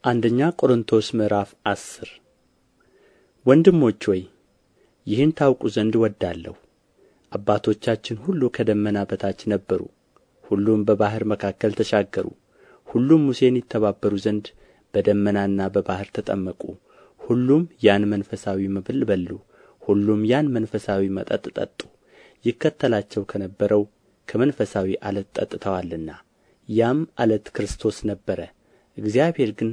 አንደኛ ቆሮንጦስ ምዕራፍ 10 ወንድሞች ሆይ ይህን ታውቁ ዘንድ እወዳለሁ። አባቶቻችን ሁሉ ከደመና በታች ነበሩ፣ ሁሉም በባሕር መካከል ተሻገሩ። ሁሉም ሙሴን ይተባበሩ ዘንድ በደመናና በባሕር ተጠመቁ። ሁሉም ያን መንፈሳዊ መብል በሉ፣ ሁሉም ያን መንፈሳዊ መጠጥ ጠጡ። ይከተላቸው ከነበረው ከመንፈሳዊ ዓለት ጠጥተዋልና፣ ያም ዓለት ክርስቶስ ነበረ። እግዚአብሔር ግን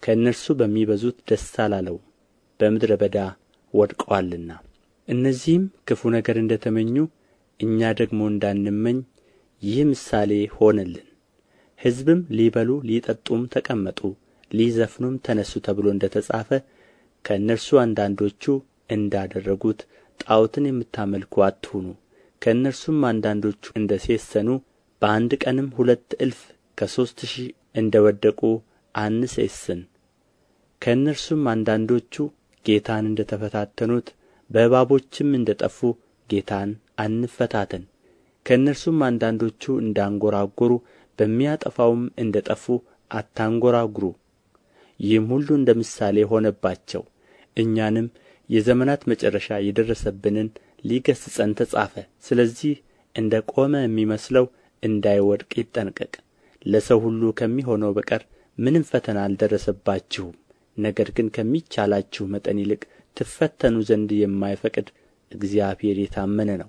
ከእነርሱ በሚበዙት ደስ አላለውም፣ በምድረ በዳ ወድቀዋልና። እነዚህም ክፉ ነገር እንደ ተመኙ እኛ ደግሞ እንዳንመኝ ይህ ምሳሌ ሆነልን። ሕዝብም ሊበሉ ሊጠጡም ተቀመጡ፣ ሊዘፍኑም ተነሡ ተብሎ እንደ ተጻፈ ከእነርሱ አንዳንዶቹ እንዳደረጉት ጣዖትን የምታመልኩ አትሁኑ። ከእነርሱም አንዳንዶቹ እንደ ሴሰኑ በአንድ ቀንም 2,000 ከ3,000 እንደ ወደቁ አንሴስን። ከእነርሱም አንዳንዶቹ ጌታን እንደ ተፈታተኑት በእባቦችም እንደ ጠፉ ጌታን አንፈታተን። ከእነርሱም አንዳንዶቹ እንዳንጐራጐሩ በሚያጠፋውም እንደ ጠፉ አታንጐራጕሩ። ይህም ሁሉ እንደ ምሳሌ ሆነባቸው፣ እኛንም የዘመናት መጨረሻ የደረሰብንን ሊገሥጸን ተጻፈ። ስለዚህ እንደ ቆመ የሚመስለው እንዳይወድቅ ይጠንቀቅ። ለሰው ሁሉ ከሚሆነው በቀር ምንም ፈተና አልደረሰባችሁም። ነገር ግን ከሚቻላችሁ መጠን ይልቅ ትፈተኑ ዘንድ የማይፈቅድ እግዚአብሔር የታመነ ነው።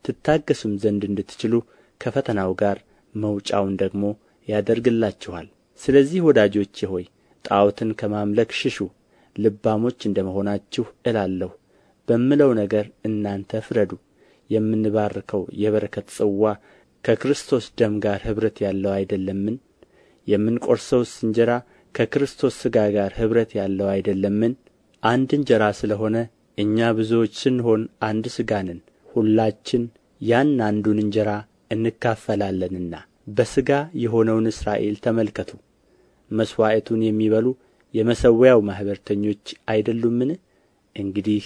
ትታገሡም ዘንድ እንድትችሉ ከፈተናው ጋር መውጫውን ደግሞ ያደርግላችኋል። ስለዚህ ወዳጆቼ ሆይ ጣዖትን ከማምለክ ሽሹ። ልባሞች እንደ መሆናችሁ እላለሁ በምለው ነገር እናንተ ፍረዱ። የምንባርከው የበረከት ጽዋ ከክርስቶስ ደም ጋር ኅብረት ያለው አይደለምን? የምንቈርሰውስ እንጀራ ከክርስቶስ ሥጋ ጋር ኅብረት ያለው አይደለምን? አንድ እንጀራ ስለ ሆነ እኛ ብዙዎች ስንሆን አንድ ሥጋ ነን፣ ሁላችን ያን አንዱን እንጀራ እንካፈላለንና። በሥጋ የሆነውን እስራኤል ተመልከቱ። መሥዋዕቱን የሚበሉ የመሠዊያው ማኅበረተኞች አይደሉምን? እንግዲህ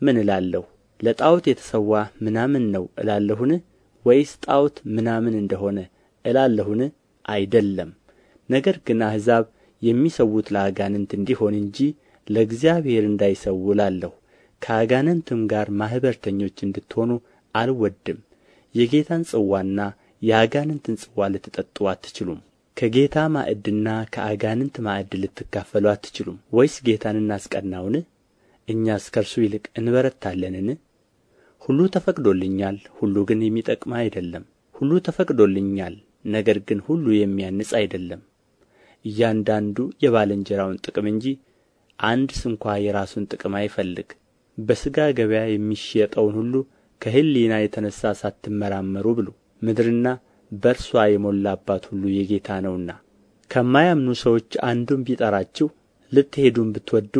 ምን እላለሁ? ለጣዖት የተሠዋ ምናምን ነው እላለሁን? ወይስ ጣዖት ምናምን እንደሆነ እላለሁን? አይደለም። ነገር ግን አሕዛብ የሚሠዉት ለአጋንንት እንዲሆን እንጂ ለእግዚአብሔር እንዳይሠዉ እላለሁ። ከአጋንንትም ጋር ማኅበረተኞች እንድትሆኑ አልወድም። የጌታን ጽዋና የአጋንንትን ጽዋ ልትጠጡ አትችሉም። ከጌታ ማዕድና ከአጋንንት ማዕድ ልትካፈሉ አትችሉም። ወይስ ጌታን እናስቀናውን? እኛስ ከእርሱ ይልቅ እንበረታለንን? ሁሉ ተፈቅዶልኛል፣ ሁሉ ግን የሚጠቅም አይደለም። ሁሉ ተፈቅዶልኛል፣ ነገር ግን ሁሉ የሚያንጽ አይደለም። እያንዳንዱ የባልንጀራውን ጥቅም እንጂ አንድ ስንኳ የራሱን ጥቅም አይፈልግ። በሥጋ ገበያ የሚሸጠውን ሁሉ ከሕሊና የተነሣ ሳትመራመሩ ብሉ። ምድርና በእርስዋ የሞላባት ሁሉ የጌታ ነውና። ከማያምኑ ሰዎች አንዱም ቢጠራችሁ ልትሄዱም ብትወዱ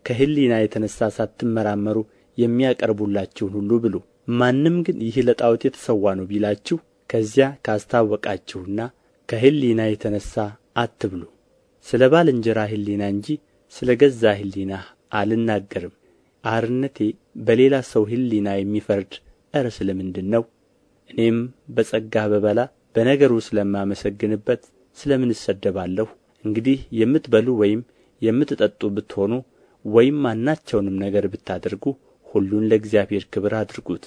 ከሕሊና የተነሣ ሳትመራመሩ የሚያቀርቡላችሁን ሁሉ ብሉ። ማንም ግን ይህ ለጣዖት የተሠዋ ነው ቢላችሁ ከዚያ ካስታወቃችሁና ከሕሊና የተነሣ አትብሉ። ስለ ባልንጀራ ሕሊና እንጂ ስለ ገዛ ሕሊናህ አልናገርም። አርነቴ በሌላ ሰው ሕሊና የሚፈርድ ኧረ ስለ ምንድር ነው? እኔም በጸጋ ብበላ በነገሩ ስለማመሰግንበት ስለ ምን እሰደባለሁ? እንግዲህ የምትበሉ ወይም የምትጠጡ ብትሆኑ ወይም ማናቸውንም ነገር ብታደርጉ ሁሉን ለእግዚአብሔር ክብር አድርጉት።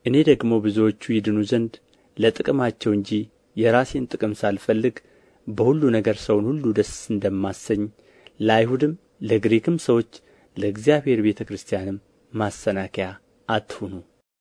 እኔ ደግሞ ብዙዎቹ ይድኑ ዘንድ ለጥቅማቸው እንጂ የራሴን ጥቅም ሳልፈልግ በሁሉ ነገር ሰውን ሁሉ ደስ እንደማሰኝ ለአይሁድም ለግሪክም ሰዎች ለእግዚአብሔር ቤተ ክርስቲያንም ማሰናከያ አትሁኑ።